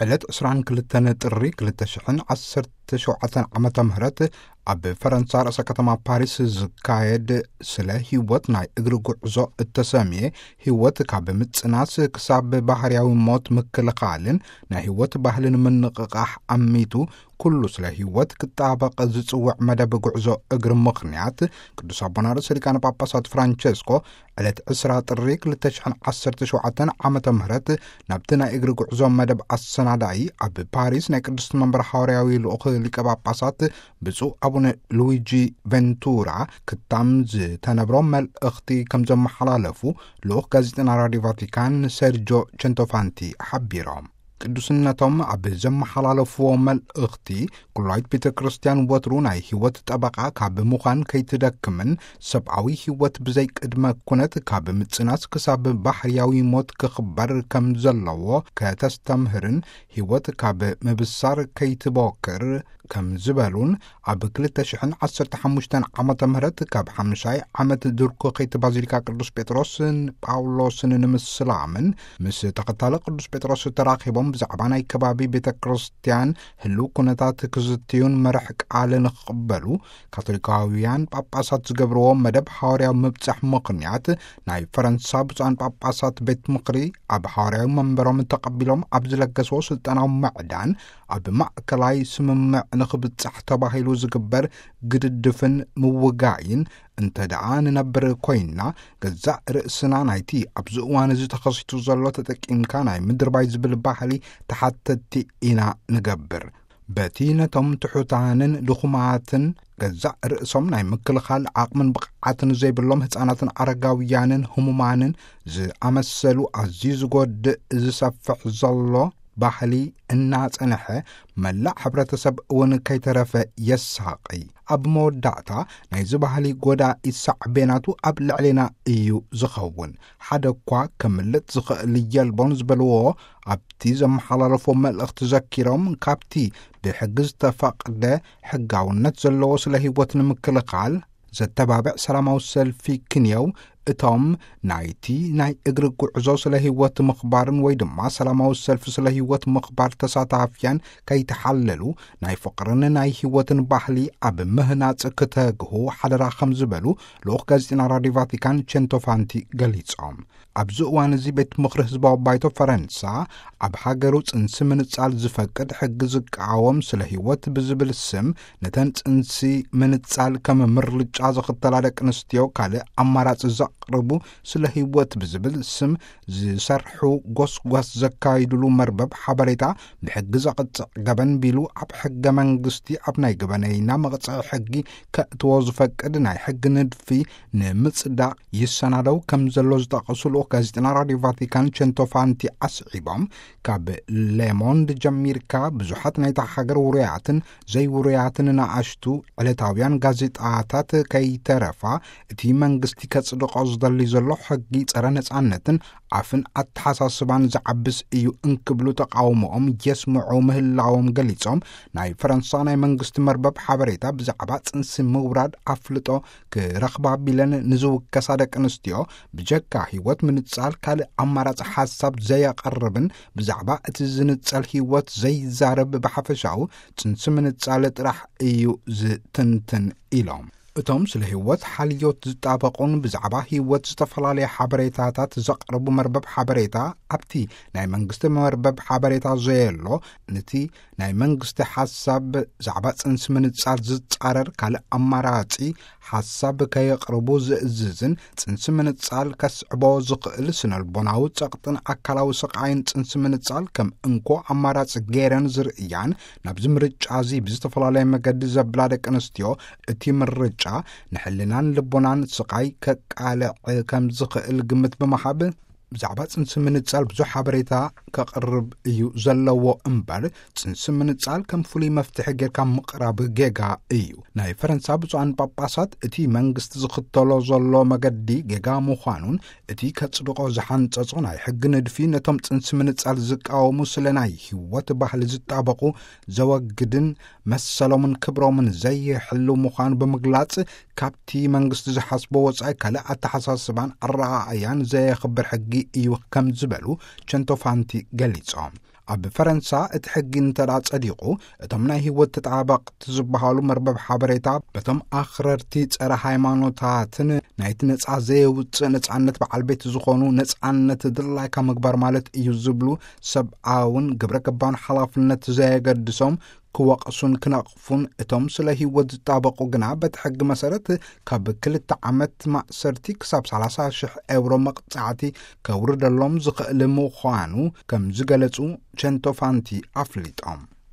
ዕለት ዕስራን ክልተን ጥሪ ክልተ ሽሕን ዓሰርተ ሸውዓተን ዓመተ ምህረት ኣብ ፈረንሳ ርእሰ ከተማ ፓሪስ ዝካየድ ስለ ህይወት ናይ እግሪ ጉዕዞ እተሰምየ፣ ህይወት ካብ ምጽናስ ክሳብ ባህርያዊ ሞት ምክልኻልን ናይ ህይወት ባህልን ምንቕቓሕ ኣሚቱ፣ ኩሉ ስለ ህይወት ክጣበቕ ዝጽውዕ መደብ ጉዕዞ እግሪ ምኽንያት፣ ቅዱስ ኣቦና ርእሰ ሊቃነ ጳጳሳት ፍራንቸስኮ ዕለት ዕስራ ጥሪ ክልተ ሽሕን ዓሰርተ ሸውዓተን ዓመተ ምህረት ናብቲ ናይ እግሪ ጉዕዞ መደብ ኣሰናዳኢ ኣብ ፓሪስ ናይ ቅድስቲ መንበር ሓዋርያዊ ልኡኽ ሊቀ ጳጳሳት ብፁዕ ኣቡነ ሉዊጂ ቬንቱራ ክታም ዝተነብሮ መልእኽቲ ከም ዘመሓላለፉ ልኡኽ ጋዜጠና ራዲዮ ቫቲካን ሰርጆ ቸንቶፋንቲ ሓቢሮም። ቅዱስነቶም ኣብ ዘመሓላለፍዎ መልእኽቲ፣ ኩላይት ቤተ ክርስቲያን ወትሩ ናይ ህይወት ጠበቓ ካብ ምዃን ከይትደክምን፣ ሰብኣዊ ህይወት ብዘይ ቅድመ ኩነት ካብ ምጽናስ ክሳብ ባህርያዊ ሞት ክኽበር ከም ዘለዎ ከተስተምህርን፣ ህይወት ካብ ምብሳር ከይትቦክር ከም ዝበሉን፣ ኣብ ክልተ ሽሕን ዓሰርተ ሓሙሽተን ዓመተ ምህረት ካብ ሓምሻይ ዓመት ድርኩኺት ባዚሊካ ቅዱስ ጴጥሮስን ጳውሎስን ንምስላምን ምስ ተኸታለ ቅዱስ ጴጥሮስ ተራኺቦም ብዛዕባ ናይ ከባቢ ቤተ ክርስቲያን ህልው ኩነታት ክዝትዩን መርሕ ቃል ንኽቕበሉ ካቶሊካውያን ጳጳሳት ዝገብርዎ መደብ ሓዋርያዊ ምብጻሕ ምኽንያት፣ ናይ ፈረንሳ ብፁዓን ጳጳሳት ቤት ምኽሪ ኣብ ሓዋርያዊ መንበሮም ተቐቢሎም ኣብ ዝለገስዎ ስልጠናዊ ምዕዳን፣ ኣብ ማእከላይ ስምምዕ ንኽብጻሕ ተባሂሉ ዝግበር ግድድፍን ምውጋይን እንተ ደኣ ንነብር ኮይንና፣ ገዛእ ርእስና ናይቲ ኣብዚ እዋን እዚ ተኸሲቱ ዘሎ ተጠቂምካ ናይ ምድርባይ ዝብል ባህሊ ተሓተትቲ ኢና ንገብር። በቲ ነቶም ትሑታንን ድኹማትን ገዛእ ርእሶም ናይ ምክልኻል ዓቕምን ብቕዓትን ዘይብሎም ህፃናትን ኣረጋውያንን ህሙማንን ዝኣመሰሉ ኣዝዩ ዝጎድእ ዝሰፍሕ ዘሎ ባህሊ እናጸንሐ፣ መላእ ሕብረተሰብ እውን ከይተረፈ የሳቕይ። ኣብ መወዳእታ ናይዚ ባህሊ ጎዳኢ ሳዕቤናቱ ኣብ ልዕሌና እዩ ዝኸውን። ሓደ እኳ ከምልጥ ዝኽእል የልቦን ዝበልዎ ኣብቲ ዘመሓላለፎ መልእኽቲ ዘኪሮም፣ ካብቲ ብሕጊ ዝተፈቕደ ሕጋውነት ዘለዎ ስለ ህይወት ንምክልኻል ዘተባብዕ ሰላማዊ ሰልፊ ክንየው፣ እቶም ናይቲ ናይ እግሪ ጉዕዞ ስለ ህይወት ምኽባርን ወይ ድማ ሰላማዊ ሰልፊ ስለ ህይወት ምኽባር ተሳታፍያን ከይተሓለሉ፣ ናይ ፍቕርን ናይ ህይወትን ባህሊ ኣብ ምህናጽ ክተግሁ ሓደራ ከም ዝበሉ ልኡኽ ጋዜጠና ራዲዮ ቫቲካን ቸንቶፋንቲ ገሊጾም። ኣብዚ እዋን እዚ ቤት ምኽሪ ህዝባዊ ባይቶ ፈረንሳ ኣብ ሃገሩ ጽንሲ ምንጻል ዝፈቅድ ሕጊ ዝቃወም ስለ ህይወት ብዝብል ስም ነተን ጽንሲ ምንጻል ከም ምርጫ ዝኽተላ ደቂ ኣንስትዮ ካልእ ኣማራጺ ዘቕርቡ ስለ ህይወት ብዝብል ስም ዝሰርሑ ጎስጓስ ዘካይድሉ መርበብ ሓበሬታ ብሕጊ ዘቕጽዕ ገበን ቢሉ ኣብ ሕገ መንግስቲ ኣብ ናይ ገበነይና መቕጽዒ ሕጊ ከእትዎ ዝፈቅድ ናይ ሕጊ ንድፊ ንምጽዳቕ ይሰናደው ከም ዘሎ ዝጠቐሱ ልኡኽ ጋዜጠና ራዲዮ ቫቲካን ቸንቶፋንቲ ኣስዒቦም፣ ካብ ሌሞንድ ጀሚርካ ብዙሓት ናይታ ሃገር ውሩያትን ዘይውሩያትን ንኣሽቱ ዕለታውያን ጋዜጣታት ከይተረፋ እቲ መንግስቲ ከጽድቖ ዝደሊ ዘሎ ሕጊ ጸረ ነጻነትን ኣፍን ኣተሓሳስባን ዝዓብስ እዩ እንክብሉ ተቃውሞኦም የስምዑ ምህላዎም ገሊጾም፣ ናይ ፈረንሳ ናይ መንግስቲ መርበብ ሓበሬታ ብዛዕባ ጽንሲ ምውራድ ኣፍልጦ ክረኽባ ቢለን ንዝውከሳ ደቂ ኣንስትዮ ብጀካ ህይወት ምንጻል ካልእ ኣማራጺ ሓሳብ ዘየቐርብን ብዛዕባ እቲ ዝንጸል ህይወት ዘይዛረብ ብሓፈሻኡ ጽንሲ ምንጻል ጥራሕ እዩ ዝትንትን ኢሎም። እቶም ስለ ህይወት ሓልዮት ዝጣበቑን ብዛዕባ ህይወት ዝተፈላለየ ሓበሬታታት ዘቕርቡ መርበብ ሓበሬታ ኣብቲ ናይ መንግስቲ መርበብ ሓበሬታ ዘየሎ፣ ነቲ ናይ መንግስቲ ሓሳብ ብዛዕባ ጽንሲ ምንጻል ዝጻረር ካልእ ኣማራጺ ሓሳብ ከየቕርቡ ዝእዝዝን ጽንሲ ምንጻል ከስዕቦ ዝኽእል ስነልቦናዊ ጸቕጥን ኣካላዊ ስቓይን ጽንሲ ምንጻል ከም እንኮ ኣማራጺ ገይረን ዝርእያን ናብዚ ምርጫ እዚ ብዝተፈላለየ መገዲ ዘብላ ደቂ ኣንስትዮ እቲ ምርጫ ንሕልናን ልቦናን ስቓይ ከቃልዕ ከም ዝኽእል ግምት ብምሃብ ብዛዕባ ጽንሲ ምንጻል ብዙሕ ሓበሬታ ከቕርብ እዩ ዘለዎ እምበር፣ ጽንሲ ምንጻል ከም ፍሉይ መፍትሒ ጌርካ ምቕራብ ጌጋ እዩ። ናይ ፈረንሳ ብፁዓን ጳጳሳት እቲ መንግስቲ ዝኽተሎ ዘሎ መገዲ ጌጋ ምዃኑን፣ እቲ ከጽድቖ ዝሓንጸጾ ናይ ሕጊ ንድፊ ነቶም ጽንሲ ምንጻል ዝቃወሙ ስለ ናይ ህይወት ባህሊ ዝጣበቑ ዘወግድን መሰሎምን ክብሮምን ዘይሕልው ምዃኑ ብምግላጽ፣ ካብቲ መንግስቲ ዝሓስቦ ወጻኢ ካልእ ኣተሓሳስባን ኣረኣእያን ዘየኽብር ሕጊ እዩ ከም ዝበሉ ቸንቶፋንቲ ገሊጾም። ኣብ ፈረንሳ እቲ ሕጊ እንተዳ ጸዲቑ፣ እቶም ናይ ህይወት ተጣበቕቲ ዝበሃሉ መርበብ ሓበሬታ በቶም ኣኽረርቲ ጸረ ሃይማኖታትን ናይቲ ነጻ ዘየውጽእ ነጻነት በዓል ቤት ዝኾኑ፣ ነጻነት ድላይካ ምግባር ማለት እዩ ዝብሉ ሰብኣውን ግብረ ገባውን ሓላፍነት ዘየገድሶም ክወቕሱን ክነቕፉን፣ እቶም ስለ ህይወት ዝጣበቑ ግና በቲ ሕጊ መሰረት ካብ ክልተ ዓመት ማእሰርቲ ክሳብ ሰላሳ ሽሕ ኤውሮ መቕጻዕቲ ከውርደሎም ዝኽእል ምዃኑ ከም ዝገለጹ ቸንቶፋንቲ ኣፍሊጦም።